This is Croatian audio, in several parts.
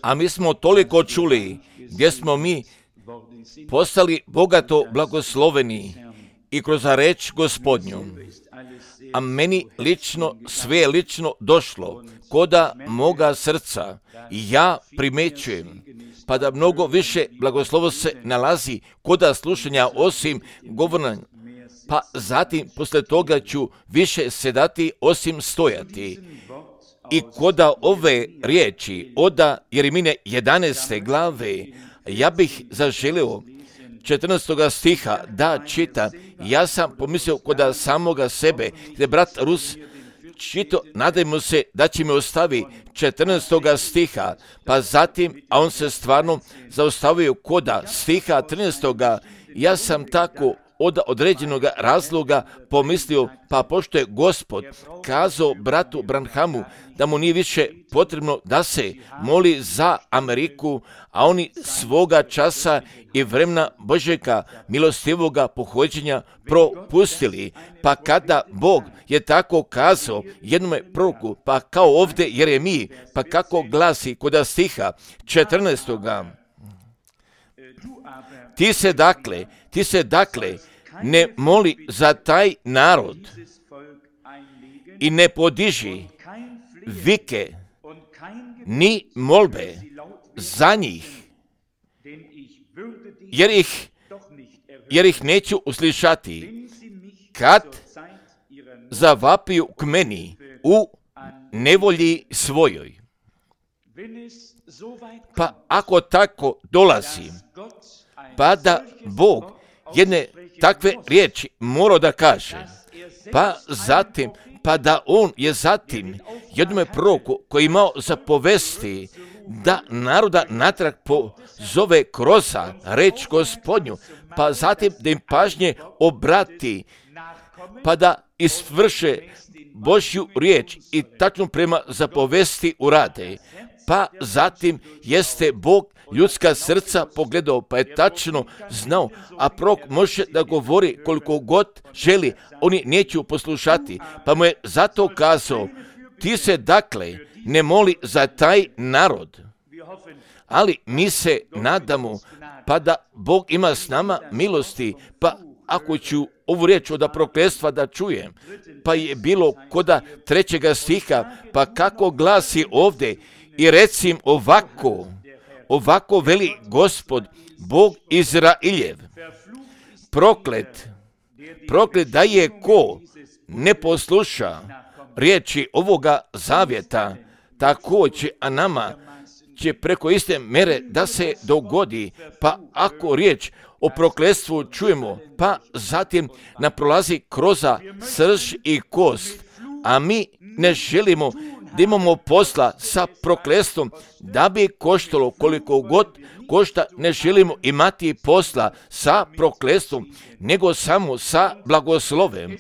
A mi smo toliko čuli gdje smo mi postali bogato blagosloveni i kroz reč Gospodnju. A meni lično, sve lično došlo koda moga srca i ja primećujem, pa da mnogo više blagoslovo se nalazi koda slušanja osim govorna, pa zatim posle toga ću više sedati osim stojati. I koda ove riječi oda Jeremine 11. glave, ja bih zaželio 14. stiha da čita. Ja sam pomislio koda samoga sebe, gdje brat Rus čito, nadajmo se da će mi ostavi 14. stiha, pa zatim, a on se stvarno zaustavio koda stiha 13. Ja sam tako od određenog razloga pomislio, pa pošto je Gospod kazao bratu Branhamu da mu nije više potrebno da se moli za Ameriku, a oni svoga časa i vremena Božjega milostivoga pohođenja propustili. Pa kada Bog je tako kazao jednome proroku, pa kao ovdje Jeremiji, pa kako glasi kod stiha 14. Ti se dakle ne moli za taj narod i ne podiži vike ni molbe za njih, jer ih neću uslišati kad zavapiju k meni u nevolji svojoj. Pa ako tako dolazi, pa da Bog jedne takve riječi mora da kaže, pa da on je zatim jednome proroku koji imao zapovesti da naroda natrag pozove kroz reč Gospodnju, pa zatim da im pažnje obrati, pa da isvrše Božju riječ i tačno prema zapovesti urade. Pa zatim jeste Bog ljudska srca pogledao, pa je tačno znao, a prorok može da govori koliko god želi, oni neću poslušati, pa mu je zato kazao, ti se dakle ne moli za taj narod, ali mi se nadamo, pa da Bog ima s nama milosti, pa ako ću ovu riječ od prokletstva da čujem, pa je bilo koda 3. stiha, pa kako glasi ovdje, i recim ovako veli Gospod, Bog Izrailjev, proklet da je ko ne posluša riječi ovoga zavjeta, također, a nama će preko iste mere da se dogodi, pa ako riječ o prokletstvu čujemo, pa zatim nam prolazi kroz srž i kost, a mi ne želimo da imamo posla sa prokletstvom, da bi koštalo koliko god košta, ne želimo imati posla sa prokletstvom, nego samo sa blagoslovem.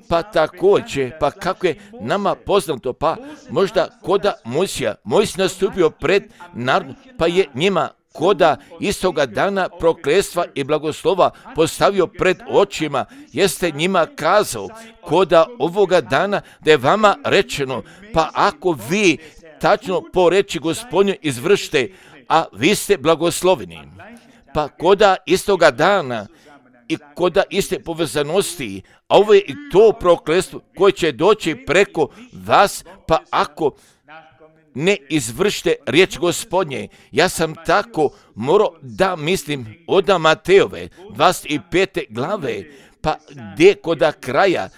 Pa također, pa kako je nama poznato, pa možda koda Mojsija nastupio pred narodom, pa je njima koda istoga dana prokletstva i blagoslova postavio pred očima, jeste njima kazao koda ovoga dana da je vama rečeno, pa ako vi tačno po reči Gospodnju izvršite, a vi ste blagosloveni. Pa koda istoga dana i koda iste povezanosti, a ovo je i to prokletstvo koje će doći preko vas, pa ako ne izvršite riječ Gospodnje. Ja sam tako morao da mislim od Matejove 25. glave, pa gdje koda kraja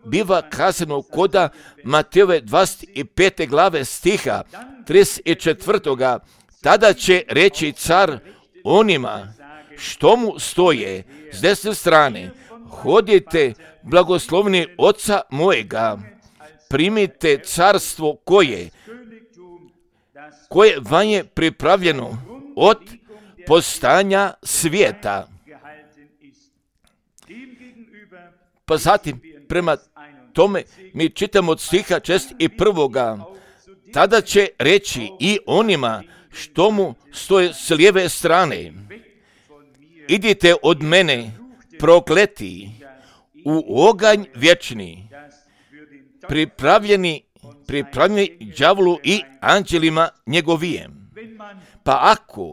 biva kazano koda Matejove 25. glave stiha 34. Tada će reći car onima što mu stoje s desne strane, hodite blagoslovni oca mojega, primite carstvo koje vam je pripravljeno od postanja svijeta. Pa zatim, prema tome, mi čitamo od stiha 61. Tada će reći i onima što mu stoje s lijeve strane, idite od mene, prokleti, u oganj vječni, pripravljeni pripravljeni đavolu i anđelima njegovijem. Pa ako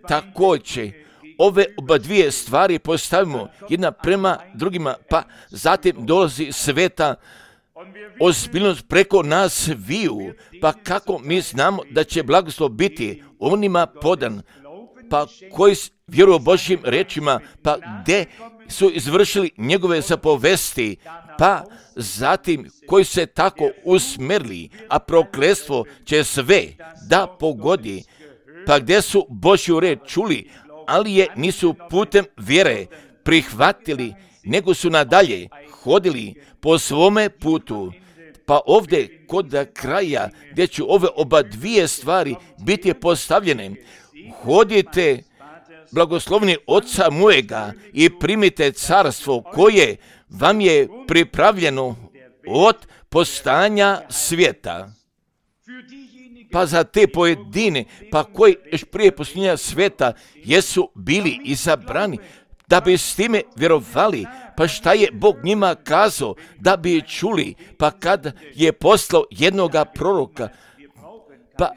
također ove oba dvije stvari postavimo jedna prema drugima, pa zatim dolazi sveta ozbiljnost preko nas viju, pa kako mi znamo da će blagoslov biti onima podan, pa koji vjeruju Božjim rečima, pa gdje su izvršili njegove zapovesti, pa zatim koji se tako usmjerili, a prokletstvo će sve da pogodi, pa gdje su Božju reč čuli, ali je nisu putem vjere prihvatili, nego su nadalje hodili po svome putu. Pa ovdje kod kraja gdje će ove oba dvije stvari biti postavljene, hodite blagoslovni Oca mojega i primite carstvo koje vam je pripravljeno od postanja svijeta. Pa za te pojedine, pa koji još prije postojanja svijeta jesu bili izabrani, da bi s time vjerovali, pa šta je Bog njima kazao, da bi čuli, pa kad je poslao jednoga proroka, pa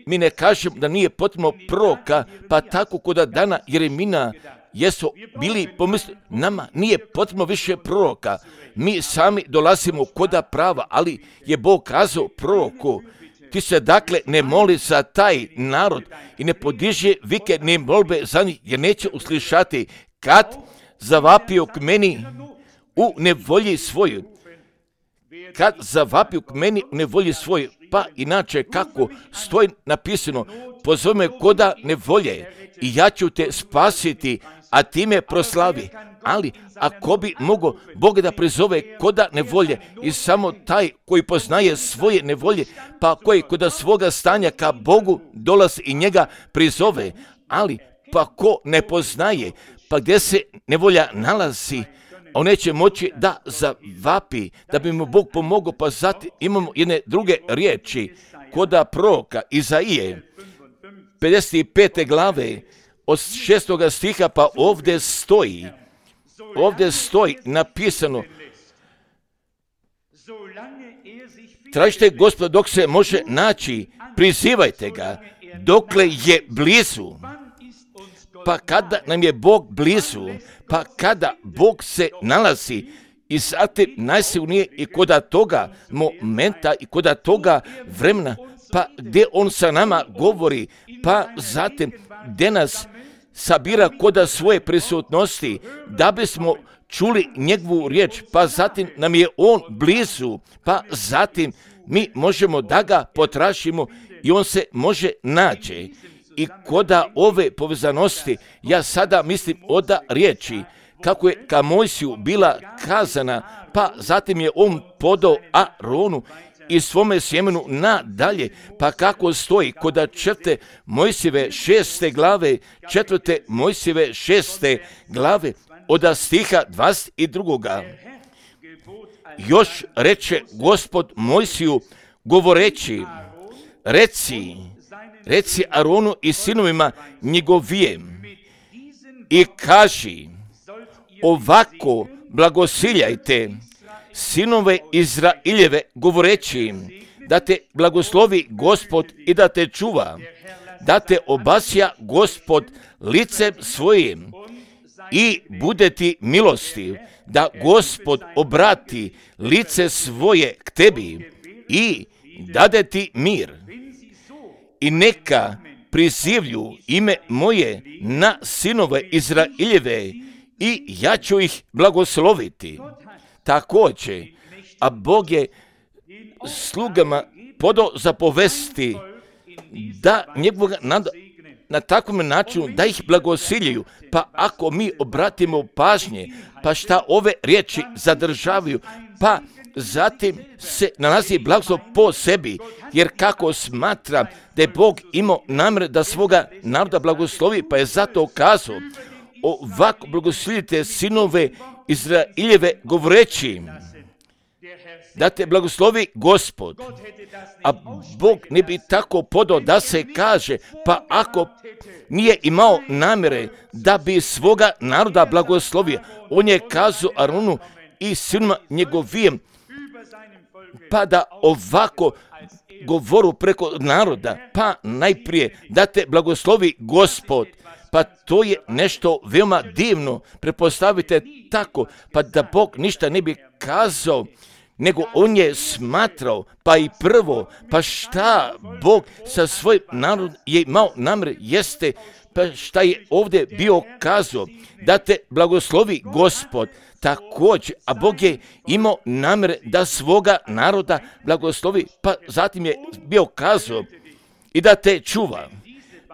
mi ne kažem da nije potrebno proroka, pa tako kod dana Jeremina jesu bili pomislili, nama nije potrebno više proroka, mi sami dolazimo koda prava, ali je Bog kazao proroku, ti se dakle ne moli za taj narod i ne podiže vike ni molbe za njih, jer neće uslišati kad zavapio k meni u nevolji svoju. Kad zavapio k meni u nevolji svoju, pa inače kako stoji napisano, pozove me koda nevolje i ja ću te spasiti, a ti me proslavi. Ali ako bi mogao Bog da prizove koda nevolje i samo taj koji poznaje svoje nevolje, pa koji koda svoga stanja ka Bogu dolazi i njega prizove, ali pa ko ne poznaje, pa gdje se nevolja nalazi, on neće moći da zavapi, da bi mu Bog pomogao, pa zatim imamo jedne druge riječi koda proroka Izaije, 55. glave, od 6. stiha, pa ovdje stoji napisano, tražite Gospoda dok se može naći, prizivajte ga, dokle je blizu. Pa kada nam je Bog blizu, pa kada Bog se nalazi i zatim najsilnije i koda toga momenta i koda toga vremena, pa gdje on sa nama govori, pa zatim gdje nas sabira koda svoje prisutnosti, da bismo čuli njegovu riječ, pa zatim nam je on blizu, pa zatim mi možemo da ga potražimo i on se može naći. I koda ove povezanosti, ja sada mislim oda riječi, kako je ka Mojsiju bila kazana, pa zatim je on podao Aronu i svome sjemenu nadalje, pa kako stoji koda 4. Mojsijeve 6. glave, 4. Mojsijeve 6. glave, od stiha 22. Još reče Gospod Mojsiju govoreći, reci Aronu i sinovima njegovijem i kaži, ovako blagosiljajte sinove Izraeljeve govoreći, da te blagoslovi Gospod i da te čuva, da te obasja Gospod licem svojim i bude ti milostiv, da Gospod obrati lice svoje k tebi i dade ti mir. I neka prizivlju ime moje na sinove Izraeljeve i ja ću ih blagosloviti. Također, a Bog je slugama podao zapovesti da njegovog na takvom načinu da ih blagosiljuju. Pa ako mi obratimo pažnje, pa šta ove riječi zadržavaju, pa zatim se nalazi blagoslov po sebi, jer kako smatra da je Bog imao namjer da svoga naroda blagoslovi, pa je zato kazao, ovako blagoslovite sinove Izraeljeve govoreći, da te blagoslovi Gospod. A Bog ne bi tako podao da se kaže, pa ako nije imao namjere da bi svoga naroda blagoslovio, on je kazao Aronu i sinima njegovijem, pa da ovako govoru preko naroda, pa najprije da te blagoslovi Gospod. Pa to je nešto veoma divno, pretpostavite tako, pa da Bog ništa ne bi kazao, nego on je smatrao, pa i prvo, pa šta Bog sa svojim narodom je imao namjer, jeste, pa šta je ovdje bio kazao, da te blagoslovi Gospod. Također, a Bog je imao namjer da svoga naroda blagoslovi, pa zatim je bio kazao i da te čuva.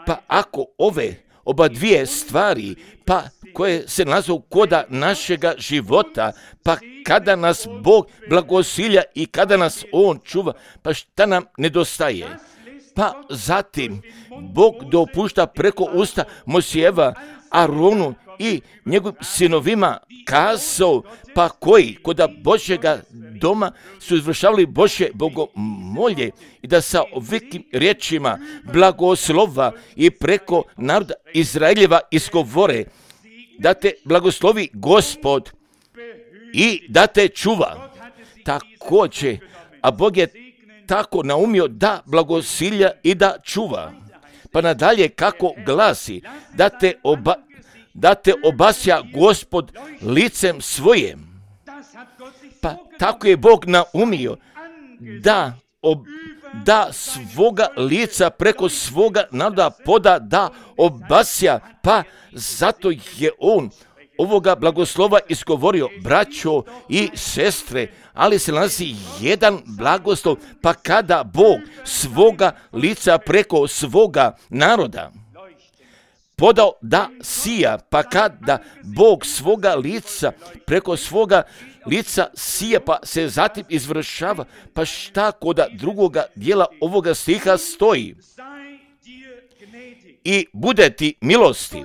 Pa ako ove oba dvije stvari, pa koje se nalaze koda našega života, pa kada nas Bog blagosilja i kada nas On čuva, pa šta nam nedostaje? Pa zatim Bog dopušta preko usta Mojsijeva, Aronu i njegovim sinovima kazao, pa koji koda Božjega doma su izvršavali Božje bogomolje i da sa ovakvim riječima blagoslova i preko naroda Izraeljeva izgovore, da te blagoslovi Gospod i da te čuva. Također, a Bog je tako naumio da blagosilja i da čuva. Pa nadalje kako glasi, da te obasja Gospod licem svojim. Pa tako je Bog naumio da svoga lica preko svoga naroda poda da obasja, pa zato je on ovoga blagoslova izgovorio, braćo i sestre, ali se nalazi jedan blagoslov, pa kada Bog svoga lica preko svoga naroda podao da sija, pa kada Bog svoga lica preko svoga lica sija, pa se zatim izvršava, pa šta koda drugoga dijela ovoga stiha stoji? I bude ti milostiv.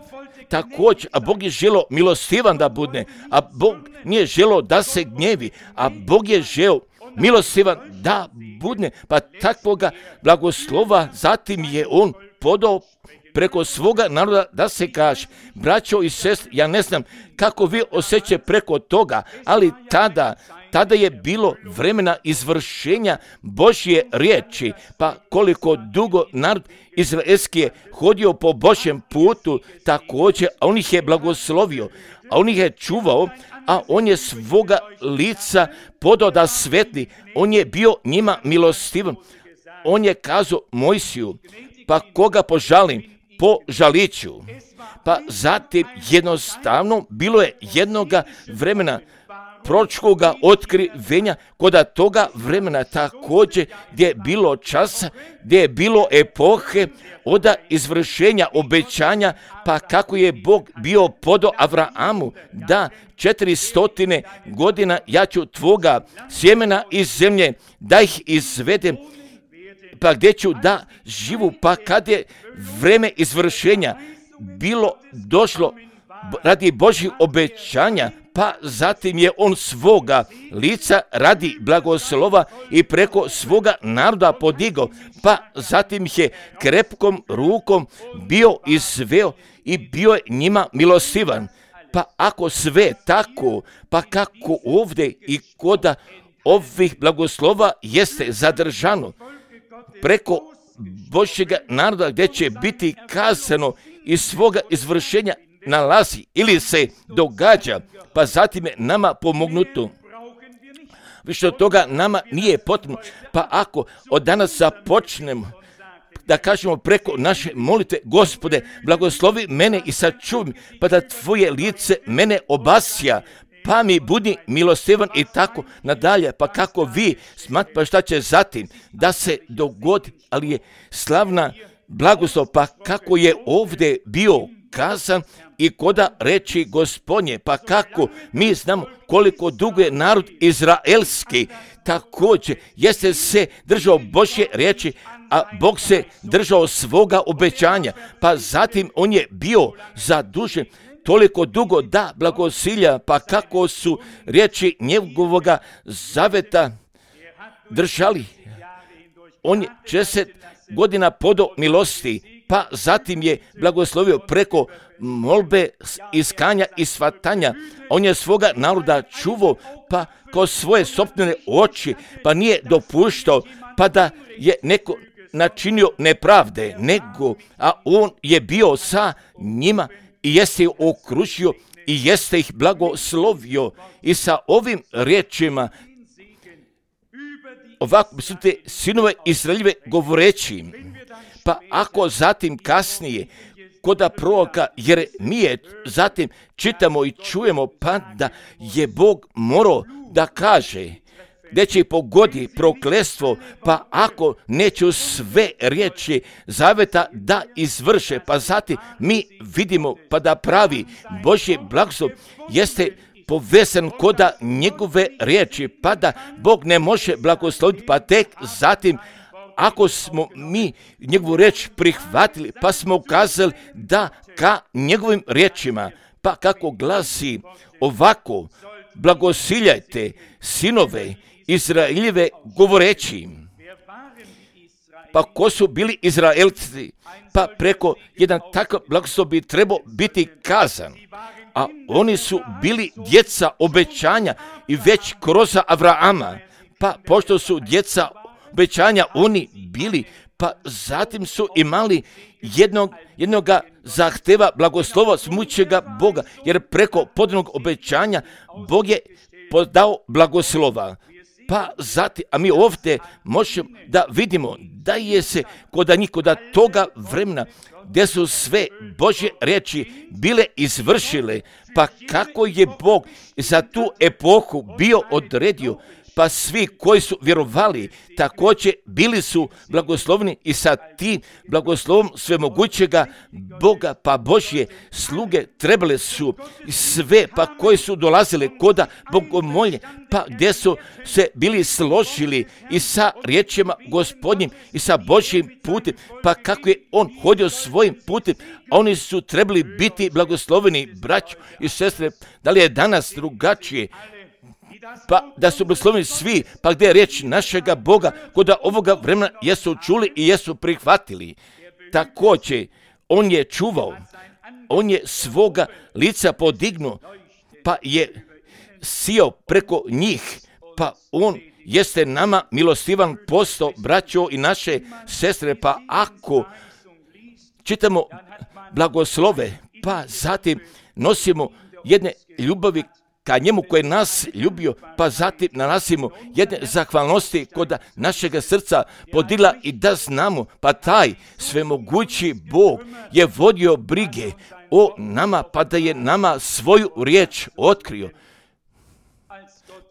Također, a Bog je želio milostivan da bude, a Bog nije želio da se gnjevi, a Bog je želio milostivan da bude, pa takvoga blagoslova zatim je on podao preko svoga naroda da se kaže, braćo i sestre, ja ne znam kako vi osjećate preko toga, ali tada je bilo vremena izvršenja Božje riječi, pa koliko dugo narod izraelski je hodio po Božjem putu, također, a on ih je blagoslovio, a on ih je čuvao, a on je svoga lica podao da svetli, on je bio njima milostivan, on je kazao Mojsiju, pa koga požalim, požaliću. Pa zatim jednostavno bilo je jednoga vremena proročkoga otkrivenja, koda toga vremena također gdje je bilo časa, gdje je bilo epohe od izvršenja obećanja, pa kako je Bog bio podao Avrahamu da 400 godina ja ću tvoga sjemena iz zemlje da ih izvedem, pa gdje ću da živu, pa kad je vreme izvršenja bilo došlo radi Božjih obećanja, pa zatim je on svoga lica radi blagoslova i preko svoga naroda podigao, pa zatim je krepkom rukom bio izveo i bio je njima milostivan. Pa ako sve tako, pa kako ovdje i koda ovih blagoslova jeste zadržano preko Božjega naroda gdje će biti kazano iz svoga izvršenja nalazi ili se događa, pa zatim je nama pomognuto. Više od toga nama nije potrebno, pa ako od danas započnemo da kažemo preko naše molitve, Gospode, blagoslovi mene i sačuvaj, pa da tvoje lice mene obasja, pa mi budi milostivan i tako nadalje, pa kako vi smatrate, pa šta će zatim da se dogodi, ali je slavna blagoslov, pa kako je ovdje bio kazan i koda reči Gospodnje, pa kako mi znamo koliko dugo je narod izraelski također jeste se držao Božje riječi, a Bog se držao svoga obećanja, pa zatim on je bio zadužen toliko dugo da blagosilja, pa kako su riječi njegovoga zaveta držali. On je 60 godina podao milosti, pa zatim je blagoslovio preko molbe, iskanja i svatanja. On je svoga naroda čuvao, pa kao svoje sopstvene oči, pa nije dopuštao, pa da je neko načinio nepravde, nego, a on je bio sa njima i jeste ih okružio i jeste ih blagoslovio. I sa ovim riječima ovako su te sinove Izraeljeve govoreći, pa ako zatim kasnije koda proroka Jeremije zatim čitamo i čujemo, pa da je Bog morao da kaže gdje će pogodi prokletstvo, pa ako neću sve riječi zaveta da izvrše, pa zatim mi vidimo pa da pravi Božji blagoslov jeste povezan koda njegove riječi, pa da Bog ne može blagosloviti, pa tek zatim ako smo mi njegovu riječ prihvatili, pa smo ukazali da ka njegovim riječima, pa kako glasi ovako, blagosiljajte sinove Izraeljeve govoreći. Pa ko su bili Izraelci? Pa preko jedan takav blagoslov bi trebao biti kazan. A oni su bili djeca obećanja i već kroz Avrama. Pa pošto su djeca obećanja oni bili, pa zatim su imali jednoga zahteva blagoslova smućega Boga, jer preko podanog obećanja Bog je podao blagoslova. Pa zatim, a mi ovdje možemo da vidimo da je se koda toga vremena gdje su sve Božje riječi bile izvršile, pa kako je Bog za tu epohu bio odredio, pa svi koji su vjerovali također bili su blagoslovni i sa tim blagoslovom svemogućega Boga, pa Božje sluge trebale su sve, pa koji su dolazili koda bogomolje, pa gdje su se bili složili i sa riječima Gospodnjim i sa Božjim putem, pa kako je on hodio svojim putem, oni su trebali biti blagosloveni, braćo i sestre. Da li je danas drugačije? Pa da su blagosloveni svi, pa gdje je riječ našega Boga, koda ovoga vremena jesu čuli i jesu prihvatili. Također, on je čuvao, on je svoga lica podignuo, pa je sijao preko njih, pa on jeste nama milostivan posto, braćo i naše sestre, pa ako čitamo blagoslove, pa zatim nosimo jedne ljubavi ka njemu koji je nas ljubio, pa zatim nanosimo jedne zahvalnosti kod našega srca podila i da znamo, pa taj svemogući Bog je vodio brige o nama, pa da je nama svoju riječ otkrio.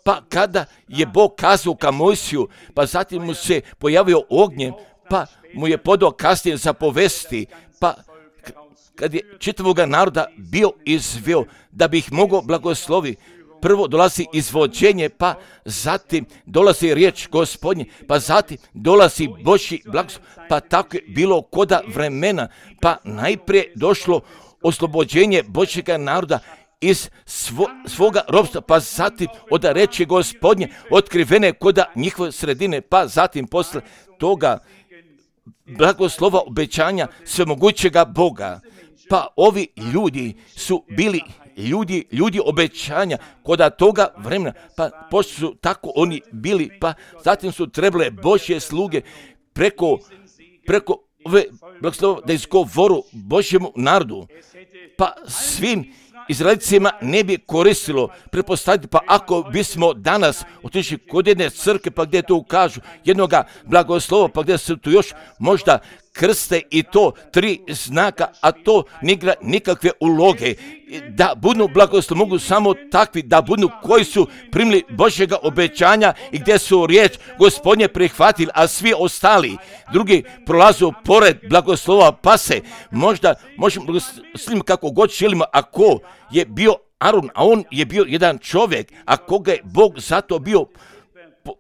Pa kada je Bog kazao ka Mojsiju, pa zatim mu se pojavio ognjem, pa mu je podao kasnije zapovesti, pa kad je čitavoga naroda bio izveo da bi ih mogao blagoslovi, prvo dolazi izvođenje, pa zatim dolazi riječ Gospodnje, pa zatim dolazi Božji blagoslov, pa tako je bilo koda vremena, pa najprije došlo oslobođenje Božjega naroda iz svoga ropstva, pa zatim od riječi Gospodnje otkrivene koda njihove sredine, pa zatim posle toga blagoslova obećanja svemogućega Boga. Pa ovi ljudi su bili ljudi obećanja koda toga vremena, pa pošto su tako oni bili, pa zatim su trebale Božje sluge preko ove blagoslova da izgovoru Božjemu narodu, pa svim Izraelcima ne bi koristilo pretpostaviti, pa ako bismo danas otišli kod jedne crkve, pa gdje to kažu jednoga blagoslova, pa gdje su tu još možda krste i to 3 znaka, a to ne igra nikakve uloge. Da budu blagoslov mogu samo takvi da budu koji su primili Božjega obećanja i gdje su riječ Gospodnje prihvatili, a svi ostali drugi prolazu pored blagoslova, pa se možda možemo blagosloviti kako god želimo, ako je bio Aron, a on je bio jedan čovjek, a koga je Bog zato bio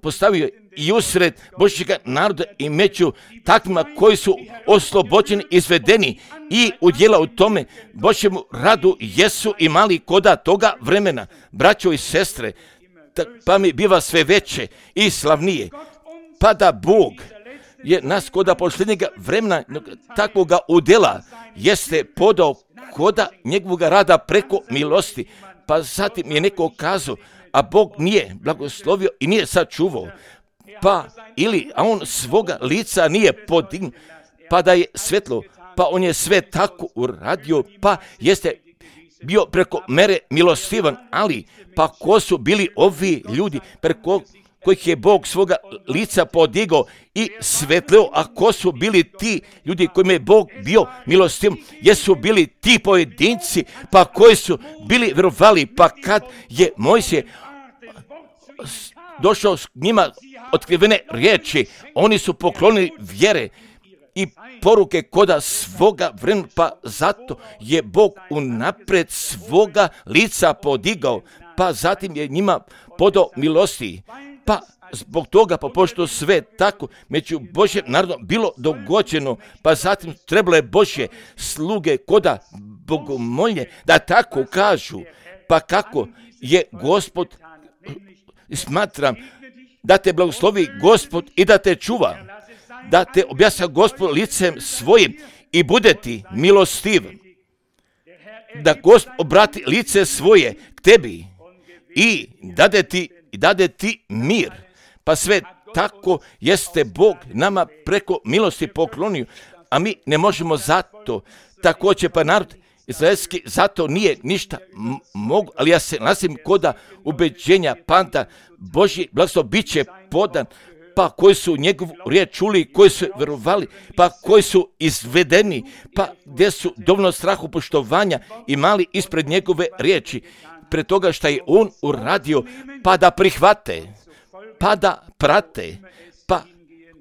postavio i usred Božjega naroda i među takvima koji su oslobođeni, izvedeni i udjela u tome Božjemu radu jesu imali koda toga vremena. Braćo i sestre, pa mi biva sve veće i slavnije. Pa da Bog je nas koda posljednjega vremena takvoga udjela jeste podao koda njegovog rada preko milosti. Pa zatim je neko kazao, a Bog nije blagoslovio i nije sačuvao. Pa a on svoga lica nije podignuo, pa da je svetlo, pa on je sve tako uradio, pa jeste bio preko mere milostivan, ali pa ko su bili ovi ljudi preko kojih je Bog svoga lica podigao i svetleo, a ko su bili ti ljudi kojima je Bog bio milostiv, jesu bili ti pojedinci, pa koji su bili vjerovali, pa kad je Mojsije došao s njima otkrivene riječi, oni su poklonili vjere i poruke koda svoga vremena, pa zato je Bog unaprijed svoga lica podigao, pa zatim je njima podao milosti. Pa zbog toga, pa pošto sve tako među Božjem narodom bilo dogođeno, pa zatim trebalo je Božje sluge koda bogomolje da tako kažu, pa kako je Gospod, smatram da te blagoslovi Gospod i da te čuva, da te objasna Gospod licem svojim i bude ti milostiv, da Gospod obrati lice svoje k tebi i dade ti mir. Pa sve tako jeste Bog nama preko milosti poklonio, a mi ne možemo zato. Također pa narod izraelski zato nije ništa mogu, ali ja se nalazim koda ubeđenja panta Božji blagoslov bit će podan, pa koji su njegovu riječ čuli, koji su vjerovali, pa koji su izvedeni, pa gdje su dovoljno strahu poštovanja imali ispred njegove riječi, pred toga što je on uradio, pa da prihvate, pa da prate, pa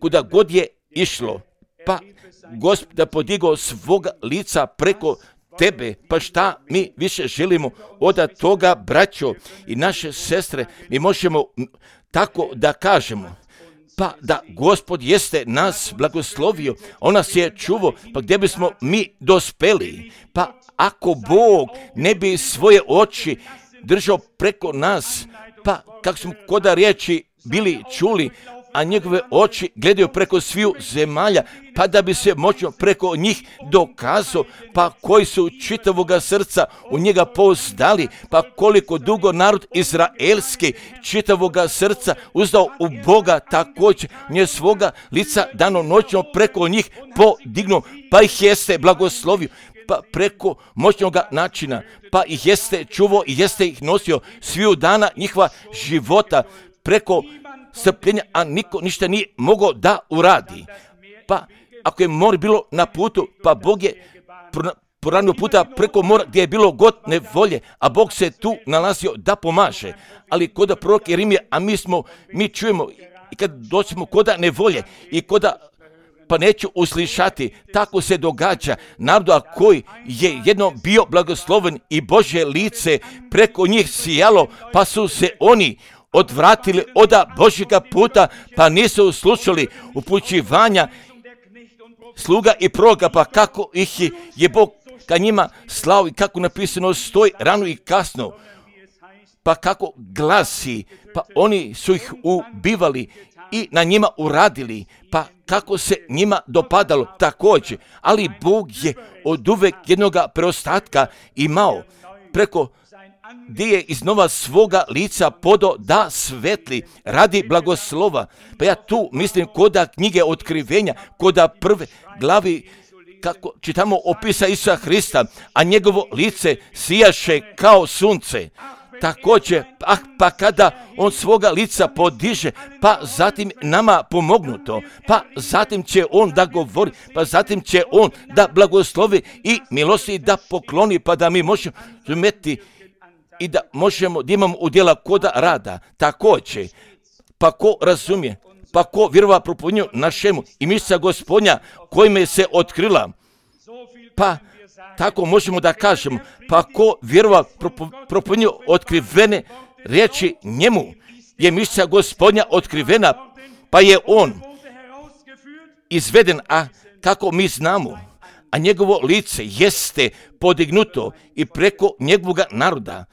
kuda god je išlo, pa Gospod da podigao svoga lica preko tebe, pa šta mi više želimo od toga, braćo i naše sestre, mi možemo tako da kažemo, pa da Gospod jeste nas blagoslovio, on nas je čuvao, pa gdje bismo mi dospeli, pa ako Bog ne bi svoje oči držao preko nas, pa kako smo koda riječi bili čuli, a njegove oči gledaju preko sviju zemalja, pa da bi se moćno preko njih dokazao, pa koji su čitavoga srca u njega pouzdali, pa koliko dugo narod izraelski čitavoga srca uzdao u Boga, također nje svoga lica danonoćno preko njih podignuo, pa ih jeste blagoslovio, pa preko moćnog načina, pa ih jeste čuvao i jeste ih nosio sviju dana njihova života, preko strpljenja, a niko ništa nije mogao da uradi. Pa ako je more bilo na putu, pa Bog je poranio puta preko mora gdje je bilo god nevolje, a Bog se tu nalazio da pomaže. Ali koda prorok Jeremija, a mi čujemo i kad doćemo koda nevolje i koda pa neću uslišati, tako se događa narodu, a koji je jedno bio blagosloven i Božje lice preko njih sijalo, pa su se oni odvratili od Božjega puta, pa nisu slušali upućivanja sluga i proroka, pa kako ih je Bog ka njima slao i kako napisano stoji rano i kasno, pa kako glasi, pa oni su ih ubivali i na njima uradili, pa kako se njima dopadalo također, ali Bog je od uvek jednoga preostatka imao preko gdje je iznova svoga lica podao da svetli radi blagoslova. Pa ja tu mislim koda knjige otkrivenja, koda prve glavi, kako čitamo opisa Isusa Hrista, a njegovo lice sijaše kao sunce. Također, pa kada on svoga lica podiže, pa zatim nama pomognuto, pa zatim će on da govori, pa zatim će on da blagoslovi i milosti da pokloni, pa da mi možemo razumjeti i da možemo da imamo udjela koda rada. Također, pa ko razumije, pa ko vjerova propovjednju našemu i mišća Gospodnja kojime se otkrila, pa tako možemo da kažemo, pa ko vjerova propovjednju otkrivene riječi njemu je mišća Gospodnja otkrivena, pa je on izveden, a kako mi znamo, a njegovo lice jeste podignuto i preko njegovog naroda,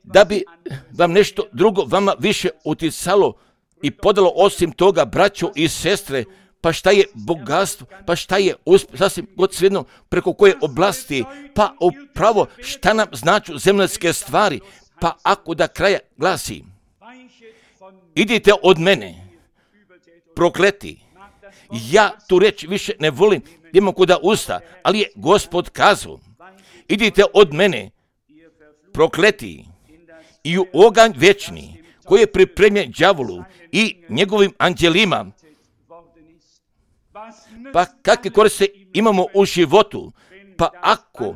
da bi vam nešto drugo vama više uticalo i podalo osim toga braćo i sestre, pa šta je bogatstvo, pa šta je sasvim god svejedno preko koje oblasti, pa upravo šta nam značu zemaljske stvari, pa ako da kraja glasi, idite od mene, prokleti. Ja tu reč više ne volim, imam kuda usta, ali je Gospod kazao, idite od mene, prokleti, i u oganj večni, koji je pripremljen đavolu i njegovim anđelima. Pa kakve koriste imamo u životu? Pa ako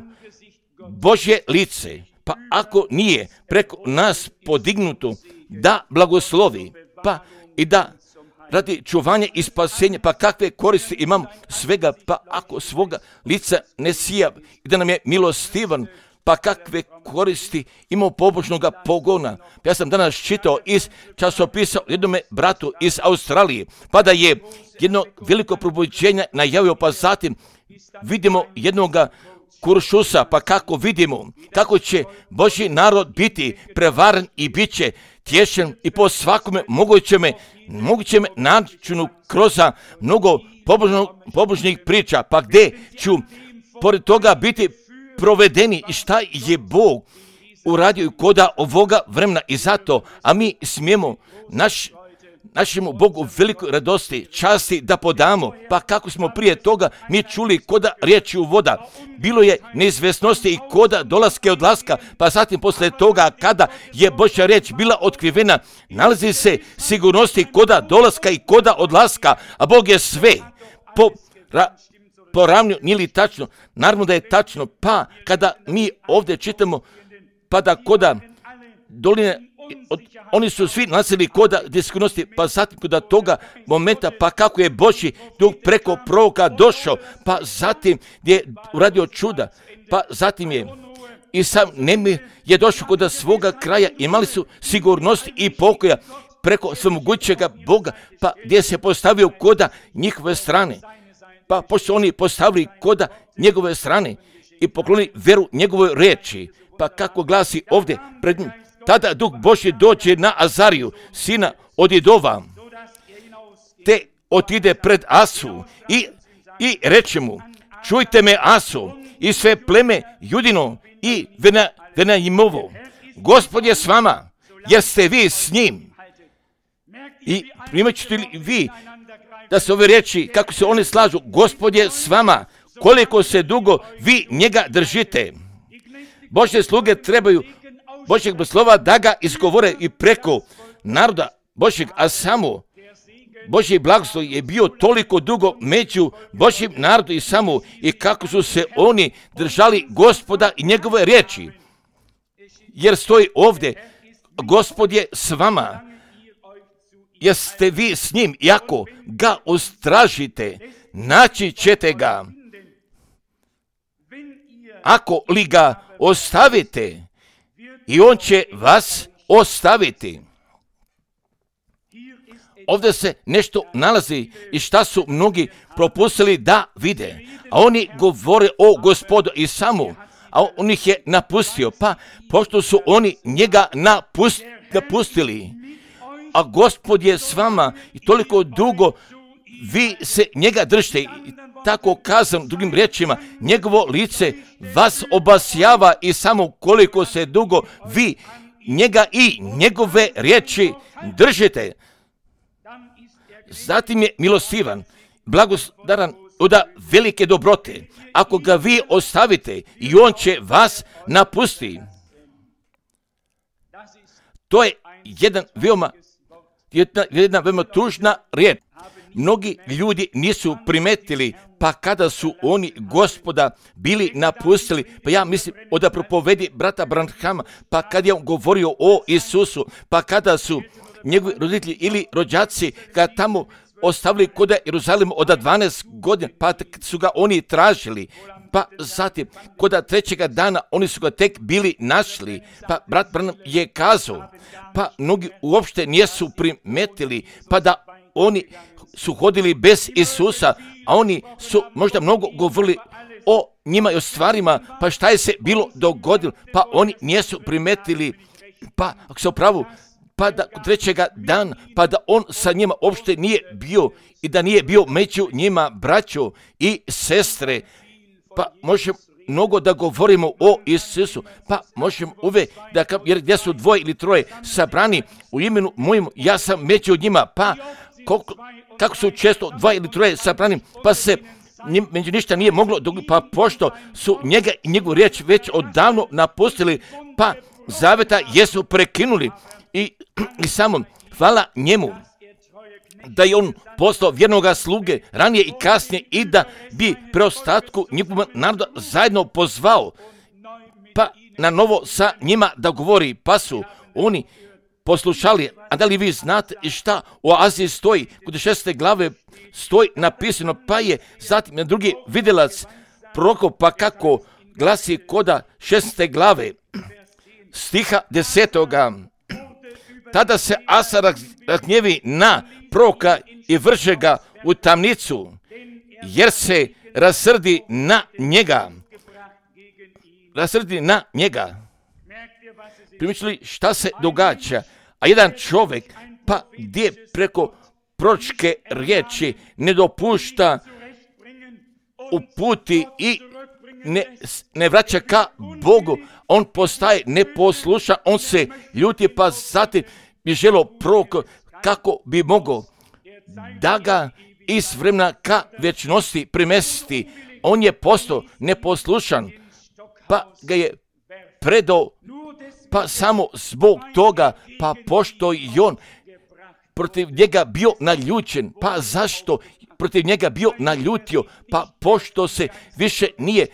Božje lice, pa ako nije preko nas podignuto da blagoslovi, pa i da radi čuvanja i spasenja, pa kakve koristi imamo svega, pa ako svoga lica ne sija i da nam je milostivan, pa kakve koristi imamo pobožnoga pogona. Ja sam danas čitao iz časopisa jednome bratu iz Australije, pa da je jedno veliko probuđenje najavio, pa zatim vidimo jednoga kuršusa, pa kako vidimo kako će Božji narod biti prevaren i bit će tješen i po svakome mogućem načinu kroz mnogo pobožnih priča, pa gdje ću pored toga biti provedeni i šta je Bog uradio koda ovoga vremena i zato, a mi smijemo našemu Bogu velikoj radosti, časti da podamo, pa kako smo prije toga mi čuli koda riječi u voda, bilo je neizvjesnosti i koda dolaska i odlaska, pa zatim posle toga kada je Božja riječ bila otkrivena, nalazi se sigurnosti koda dolaska i koda odlaska, a Bog je sve poravnio, nije li tačno? Naravno da je tačno, pa kada mi ovdje čitamo, pa da koda doline, oni su svi nasili koda sigurnosti, pa zatim koda toga momenta, pa kako je Božji duh preko proroka došao, pa zatim je uradio čuda, pa zatim je i sam nemir je došao koda svoga kraja, imali su sigurnost i pokoja preko svemogućega Boga, pa gdje se postavio koda njihove strane. Pa pošto oni postavili koda njegove strane i poklonili veru njegovoj riječi, pa kako glasi ovdje pred njim, tada Duh Božji dođe na Azariju, sina od Idova, te otide pred Asu i reče mu, čujte me Asu i sve pleme Judino i Venajimovo, Gospod je s vama, jer ste vi s njim. I primat ćete li vi da se ove riječi, kako se one slažu, Gospod je s vama, koliko se dugo vi njega držite. Božje sluge trebaju Božjeg slova da ga izgovore i preko naroda Božjeg, a samo Božji blagoslov je bio toliko dugo među Božjim narodom i samo i kako su se oni držali Gospoda i njegove riječi. Jer stoji ovdje, Gospod je s vama, jeste vi s njim, i ako ga ustražite, naći ćete ga. Ako li ga ostavite, i on će vas ostaviti. Ovdje se nešto nalazi i šta su mnogi propustili da vide. A oni govore o Gospodu i samo, a on ih je napustio. Pa pošto su oni njega napustili, a Gospod je s vama i toliko dugo vi se njega držite. I tako kazam drugim riječima, njegovo lice vas obasjava i samo koliko se dugo vi njega i njegove riječi držite. Zatim je milostivan, blagodaran od velike dobrote. Ako ga vi ostavite, i on će vas napustiti. To je jedna veoma tužna riječ. Mnogi ljudi nisu primetili, pa kada su oni Gospoda bili napustili, pa ja mislim da propovedi brata Branhama, pa kad je on govorio o Isusu, pa kada su njegovi roditelji ili rođaci ga tamo ostavili kod Jeruzalema od 12 godina, pa su ga oni tražili, pa zatim kod trećega dana oni su ga tek bili našli, pa brat Branham je kazao, pa mnogi uopšte nisu primetili, pa da oni su hodili bez Isusa, a oni su možda mnogo govorili o njima i o stvarima, pa šta je se bilo dogodilo, pa oni nisu primetili, pa ako se upravo, pa da trećega dana, pa da on sa njima uopšte nije bio i da nije bio među njima, braćo i sestre. Pa možemo mnogo da govorimo o Isusu, pa možemo uvek da, jer gdje su dvoje ili troje sabrani u imenu mojemu, ja sam među njima, pa kako su često dvoje ili troje sabrani, pa se među ništa nije moglo, pa pošto su njega i njegovu riječ već odavno napustili, pa zaveta jesu prekinuli i samo hvala njemu da je on poslao vjernoga sluge ranije i kasnije i da bi preostatku njegovog naroda zajedno pozvao, pa na novo sa njima da govori, pa su oni poslušali. A da li vi znate šta u Aziji stoji, kod 6. glave stoji napisano, pa je zatim na drugi vidjelac prorokov, pa kako glasi koda 6. glave stiha 10. Tada se Asa razgnjevi na proroka i vrže ga u tamnicu, jer se rasrdi na njega. Primičili šta se događa? A jedan čovjek, pa gdje preko proročke riječi ne dopušta uputi i ne vraća ka Bogu, on postaje neposlušan, on se ljuti, pa zatim bi želio prorok kako bi mogao da ga iz vremena ka vječnosti primesti. On je postao neposlušan, pa ga je predao, pa samo zbog toga, pa pošto je on protiv njega bio naljučen, pa zašto protiv njega bio naljutio, pa pošto se više nije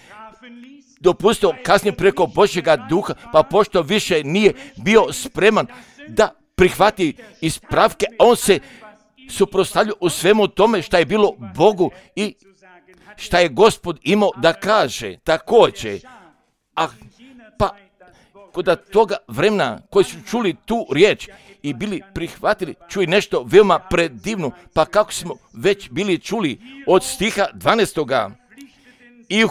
dopustio kazniti preko Božjega duha, pa pošto više nije bio spreman da prihvati ispravke, on se suprotstavljao u svemu tome šta je bilo Bogu i šta je Gospod imao da kaže. Također, pa kod toga vremena koji su čuli tu riječ i bili prihvatili, čuj nešto veoma predivno, pa kako smo već bili čuli od stiha 12. I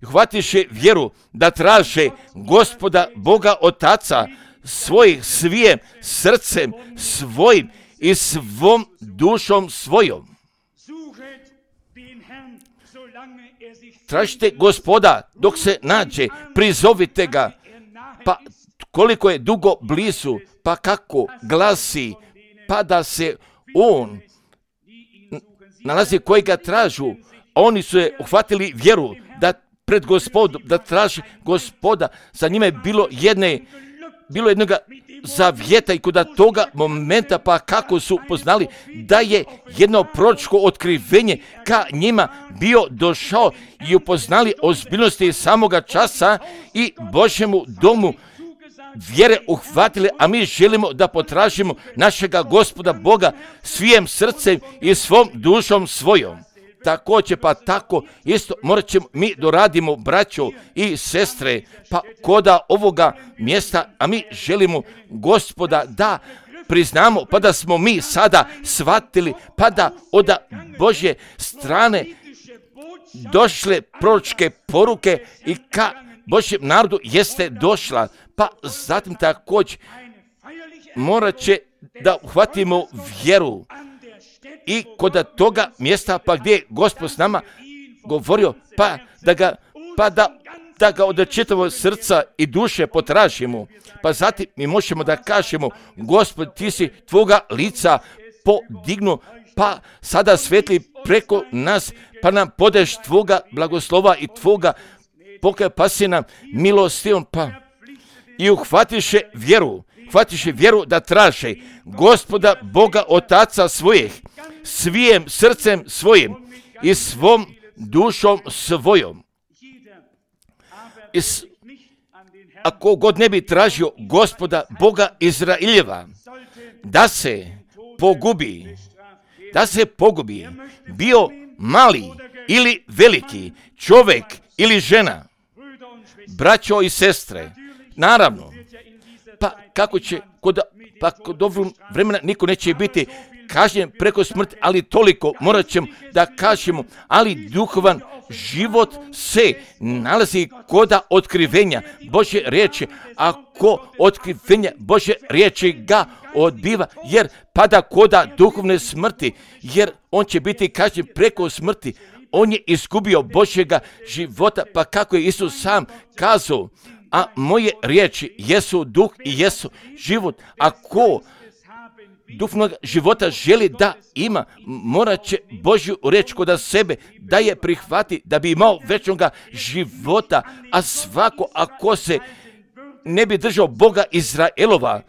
uhvatiše vjeru da traže Gospoda Boga Otaca svojih svijim srcem svojim i svom dušom svojom. Tražite Gospoda dok se nađe, prizovite ga, pa koliko je dugo blizu, pa kako glasi, pa da se on nalazi koji ga tražu. Oni su je uhvatili vjeru da pred Gospodom, da traži Gospoda. Za njima je bilo jednoga zavjeta i kod toga momenta, pa kako su poznali da je jedno proročko otkrivenje ka njima bio došao i upoznali ozbiljnosti samoga časa i Božjemu domu vjere uhvatili, a mi želimo da potražimo našega Gospoda Boga svijim srcem i svom dušom svojom. Također, pa tako isto morat ćemo mi doradimo, braćo i sestre, pa koda ovoga mjesta, a mi želimo Gospoda da priznamo, pa da smo mi sada shvatili, pa da od Božje strane došle proročke poruke i ka Božjem narodu jeste došla, pa zatim također morat će da uhvatimo vjeru. I kod toga mjesta, pa gdje je Gospod s nama govorio, pa da ga od čitavog srca i duše potražimo, pa zatim mi možemo da kažemo, Gospod, ti si tvoga lica podignu, pa sada svetli preko nas, pa nam podeš tvoga blagoslova i tvoga pokaja, pa si nam milostivon, pa i uhvatiše vjeru da traže Gospoda Boga Otaca svojih svijim srcem svojim i svom dušom svojom. Ako god ne bi tražio Gospoda Boga Izraeljeva da se pogubi, bio mali ili veliki, čovjek ili žena, braćo i sestre, naravno, pa kako će kod ovog vremena niko neće biti kažnjen preko smrti, ali toliko morat ćemo da kažemo, ali duhovan život se nalazi koda otkrivenja Božje riječi, ako otkrivenja Božje riječi ga odbiva, jer pada koda duhovne smrti, jer on će biti kažnjen preko smrti. On je izgubio Božjega života, pa kako je Isus sam kazao, a moje riječi jesu duh i jesu život. Ako duhovnog života želi da ima, morat će Božju riječ kod sebe da je prihvati, da bi imao večnoga života. A svako ako se ne bi držao Boga Izraelova,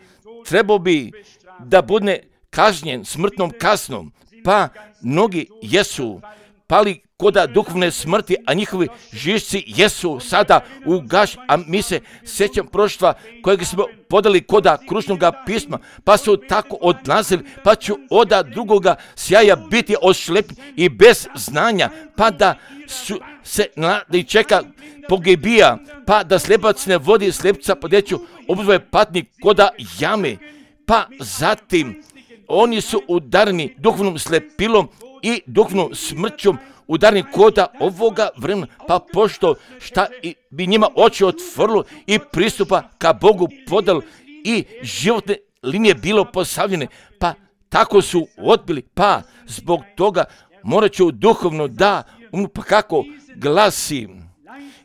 trebao bi da bude kažnjen smrtnom kaznom. Pa mnogi jesu pali koda duhovne smrti, a njihovi žišci jesu sada ugašeni. A mi se sjećam proštva kojeg smo podali koda krušnoga pisma, pa su tako odlazili, pa ću od drugoga sjaja biti ošlepni i bez znanja, pa da su se i čeka pogibija, pa da slepac ne vodi slepca, pa deću obzove patnik koda jame, pa zatim oni su udarni duhovnom slepilom i duhovnom smrćom, udarni koda ovoga vremena, pa pošto šta bi njima oči otvorilo i pristupa ka Bogu podalo i životne linije bilo postavljene, pa tako su odbili, pa zbog toga morat ću duhovno da, pa kako glasi,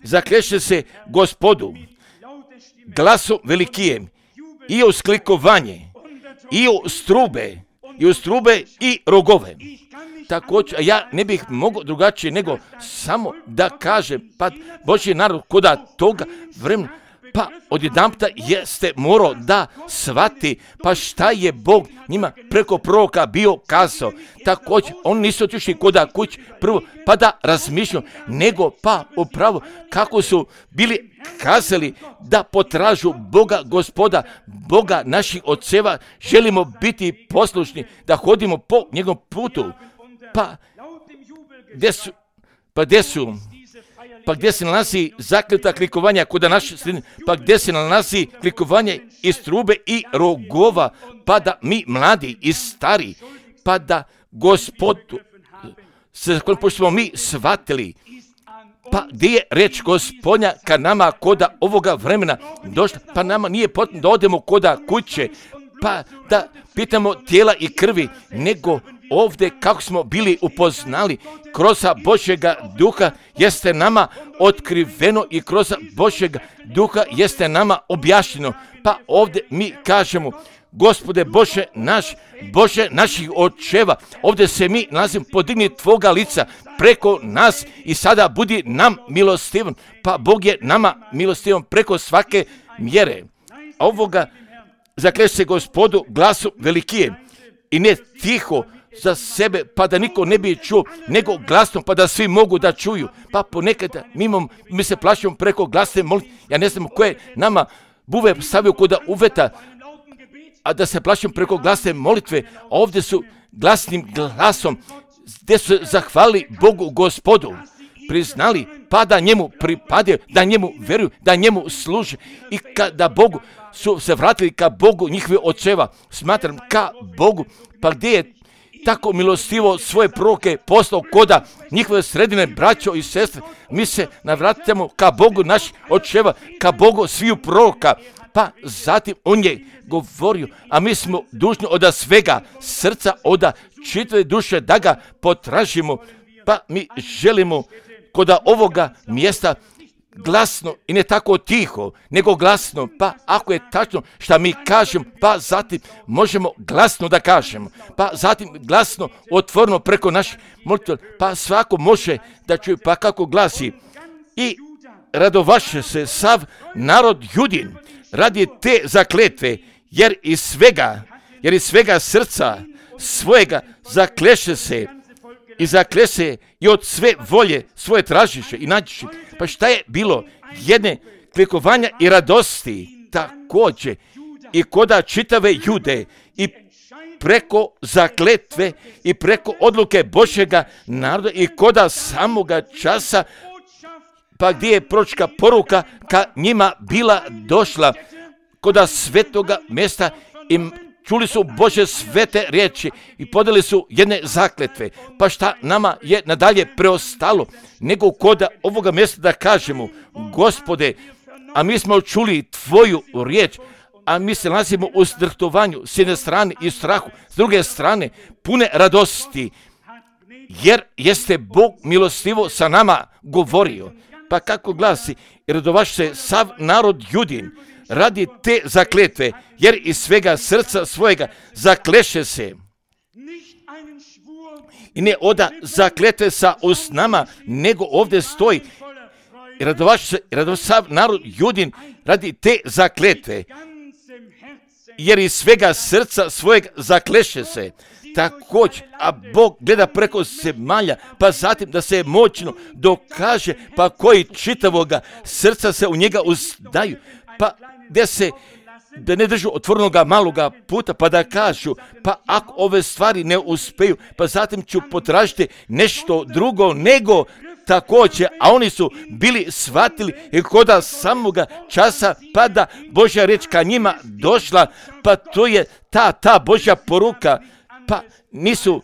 zakleše se Gospodu glasom velikijem i usklikovanje i u strube i rogove. Također, ja ne bih mogao drugačije nego samo da kažem, pa Božji narod koda toga vremena, pa odjedanputa jeste morao da shvati, pa šta je Bog njima preko proroka bio kazao. Također, oni nisu otišli koda kući prvo, pa da razmišljaju, nego pa upravo kako su bili kazali da potražu Boga Gospoda, Boga naših oceva, želimo biti poslušni, da hodimo po njegovom putu. Pa gdje se nalazi zakleta klikovanja kod naše sredine, pa gdje se nalazi klikovanje iz trube i rogova, pa da mi mladi i stari, pa da Gospodu, pošto smo mi shvatili, pa gdje je reč Gospodnja ka nama koda ovoga vremena došla, pa nama nije potrebno da odemo koda kuće, pa da pitamo tijela i krvi, nego ovdje kako smo bili upoznali kroz Božjega duha jeste nama otkriveno i kroz Božjega duha jeste nama objašnjeno. Pa ovdje mi kažemo, Gospode Bože naš, Bože naših očeva, ovdje se mi nalazimo, podigni tvoga lica preko nas i sada budi nam milostivan. Pa Bog je nama milostivan preko svake mjere. A ovoga zakleše se Gospodu glasom velikijem i ne tiho za sebe, pa da niko ne bi čuo, nego glasno, pa da svi mogu da čuju. Pa ponekad mi se plašimo preko glasne molitve. Ja ne znam koje nama buve stavio kod uveta, a da se plašimo preko glasne molitve, a ovdje su glasnim glasom, gdje su zahvalili Bogu Gospodu, priznali, pa da njemu pripadaju, da njemu veruju, da njemu služe i kada Bogu su se vratili ka Bogu njihovi očeva, smatram ka Bogu, pa gdje je tako milostivo svoje proroke poslao koda njihove sredine, braćo i sestre, mi se navratimo ka Bogu naših očeva, ka Bogu sviju proroka, pa zatim on je govorio, a mi smo dužni od svega srca, od čitave duše da ga potražimo, pa mi želimo kod ovoga mjesta glasno i ne tako tiho, nego glasno, pa ako je tačno šta mi kažemo, pa zatim možemo glasno da kažemo, pa zatim glasno otvoreno preko naših molitva, pa svako može da čuje, pa kako glasi, i radovaše se sav narod Judin radi te zakletve, jer iz svega srca svojega zakleše se i od sve volje svoje tražiše i nađiše. Pa šta je bilo? Jedne klikovanja i radosti također i koda čitave Jude i preko zakletve i preko odluke Božjega naroda i koda samoga časa, pa gdje je proročka poruka ka njima bila došla koda svetoga mjesta i čuli su Božje svete riječi i podali su jedne zakletve. Pa šta nama je nadalje preostalo nego kod ovoga mjesta da kažemo, Gospode, a mi smo čuli Tvoju riječ, a mi se nalazimo u zdrhtovanju s jedne strane i strahu, s druge strane pune radosti, jer jeste Bog milostivo sa nama govorio. Pa kako glasi, i radovaš se sav narod Judin radi te zakletve, jer iz svega srca svojega zakleše se. I ne oda zakletve sa usnama, nego ovdje stoji, i radovaš se sav narod Judin radi te zakletve, jer iz svega srca svojeg zakleše se. Također, a Bog gleda preko zemalja, pa zatim da se moćno dokaže, pa koji čitavoga srca se u njega uzdaju, pa da ne držu otvorenoga maloga puta, pa da kažu, pa ako ove stvari ne uspiju, pa zatim ću potražiti nešto drugo nego također, a oni su bili shvatili i koda samoga časa, pa da Božja riječ ka njima došla, pa to je ta Božja poruka, pa nisu,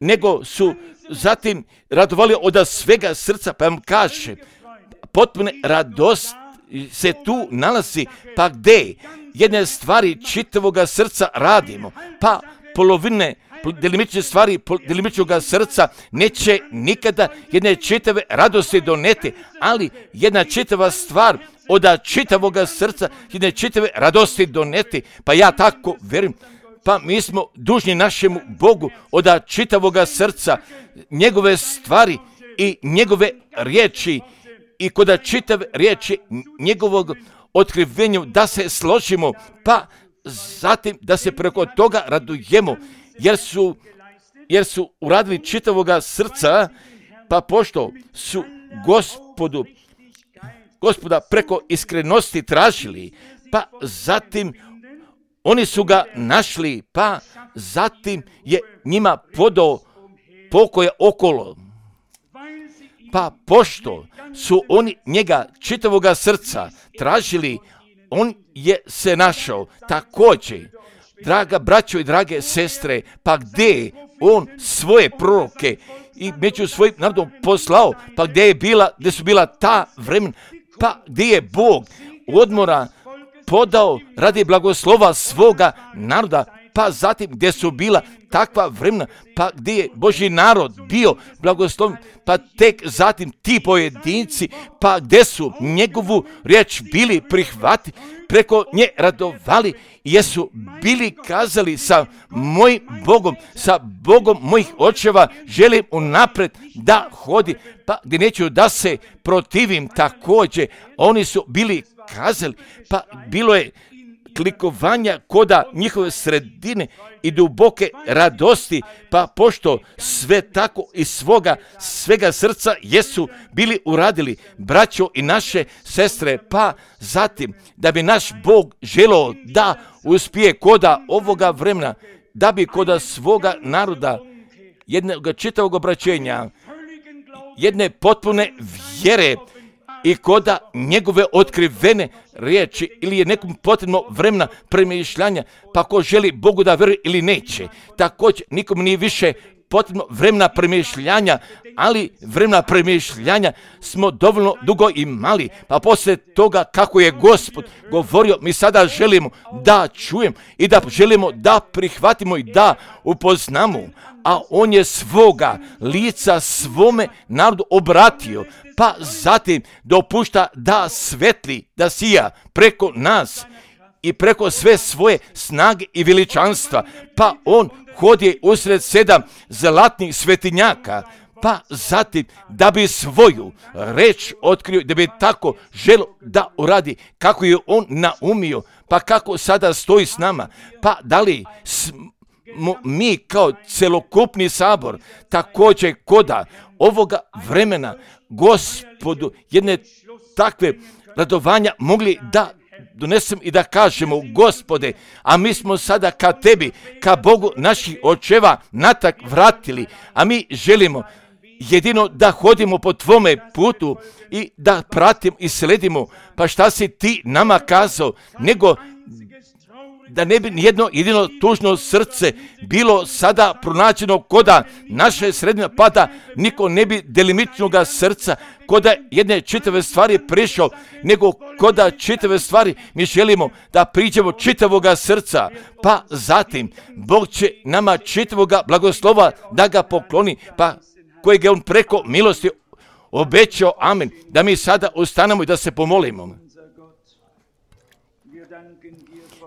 nego su zatim radovali od svega srca, pa vam kaže, potpune radost se tu nalazi, pa gdje jedne stvari čitavoga srca radimo, pa polovine delimične stvari delimičnog srca neće nikada jedne čitave radosti doneti, ali jedna čitava stvar od čitavog srca jedne čitave radosti doneti, pa ja tako vjerujem. Pa mi smo dužni našemu Bogu od čitavog srca njegove stvari i njegove riječi i kod čitave riječi njegovog otkrivenja da se složimo, pa zatim da se preko toga radujemo, jer su uradili čitavoga srca, pa pošto su Gospoda preko iskrenosti tražili, pa zatim oni su ga našli, pa zatim je njima podao pokoja okolo. Pa pošto su oni njega čitavoga srca tražili, on je se našao. Također, draga braćo i drage sestre, pa gdje on svoje proroke i među svojim narodom poslao, pa gdje su bila ta vremena, pa gdje je Bog odmora podao radi blagoslova svoga naroda, pa zatim gdje su bila takva vremena, pa gdje je Božji narod bio blagosloven, pa tek zatim ti pojedinci, pa gdje su njegovu riječ bili prihvati, preko nje radovali, jesu bili kazali sa mojim Bogom, sa Bogom mojih očeva, želim unapred da hodi, pa gdje neću da se protivim također, oni su bili kazali, pa bilo je klikovanja koda njihove sredine i duboke radosti, pa pošto sve tako iz svega srca jesu bili uradili, braćo i naše sestre, pa zatim da bi naš Bog želeo da uspije koda ovoga vremena, da bi koda svoga naroda jednog čitavog obraćenja, jedne potpune vjere i koda njegove otkrivene riječi ili je nekom potrebno vremena premišljanja, pa ko želi Bogu da vjeruje ili neće. Također nikom nije više potrebno vremena premišljanja, ali vremena premišljanja smo dovoljno dugo imali, pa poslije toga kako je Gospod govorio, mi sada želimo da čujemo i da želimo da prihvatimo i da upoznamo, a on je svoga lica svome narodu obratio, pa zatim dopušta da svetli, da sija preko nas i preko sve svoje snage i veličanstva, pa on hodi usred 7 zlatnih svetinjaka, pa zatim da bi svoju reč otkrio, da bi tako želo da uradi kako je on naumio, pa kako sada stoji s nama, pa da li mi kao celokupni sabor također koda ovoga vremena Gospodu jedne takve radovanja mogli da donesem i da kažemo, Gospode, a mi smo sada ka tebi, ka Bogu naših očeva natak vratili, a mi želimo jedino da hodimo po tvome putu i da pratimo i sledimo, pa šta si ti nama kazao, nego da ne bi nijedno jedino tužno srce bilo sada pronađeno koda naše srednje pada, niko ne bi delimičnoga srca koda jedne čitave stvari prišao, nego koda čitave stvari mi želimo da priđemo čitavoga srca, pa zatim Bog će nama čitavoga blagoslova da ga pokloni, pa kojeg je on preko milosti obećao, amen, da mi sada ustanemo i da se pomolimo.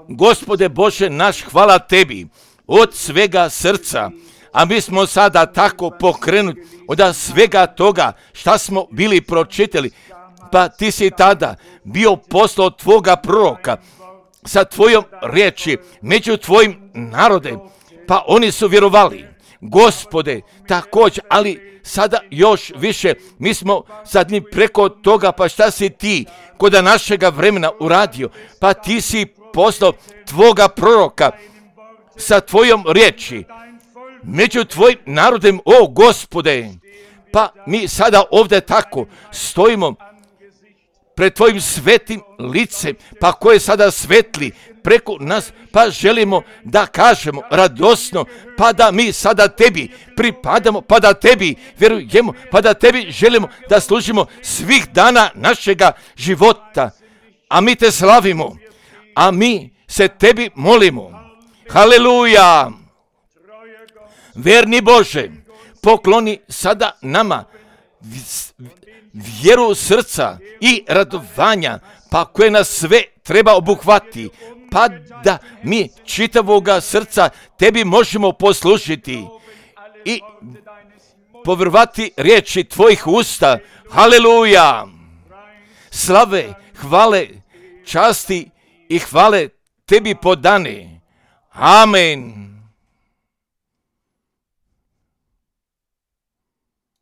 Gospode Bože naš, hvala tebi od svega srca, a mi smo sada tako pokrenuti od svega toga šta smo bili pročitali, pa ti si tada bio poslao tvoga proroka sa tvojom riječi među tvojim narodem, pa oni su vjerovali. Gospode, također, ali sada još više, mi smo sad ni preko toga, pa šta si ti kod našega vremena uradio, pa ti si poslao tvoga proroka sa tvojom riječi među tvojim narodem, o Gospode, pa mi sada ovdje tako stojimo pred tvojim svetim licem, pa koje sada svetli preko nas, pa želimo da kažemo radosno, pa da mi sada tebi pripadamo, pa da tebi vjerujemo, pa da tebi želimo da služimo svih dana našega života, a mi te slavimo, a mi se tebi molimo. Haleluja! Verni Bože, pokloni sada nama vjeru srca i radovanja, pa koje nas sve treba obuhvati, pa da mi čitavoga srca tebi možemo poslušiti i povjerovati riječi tvojih usta. Haleluja! Slave, hvale, časti i hvale tebi podane. Amen.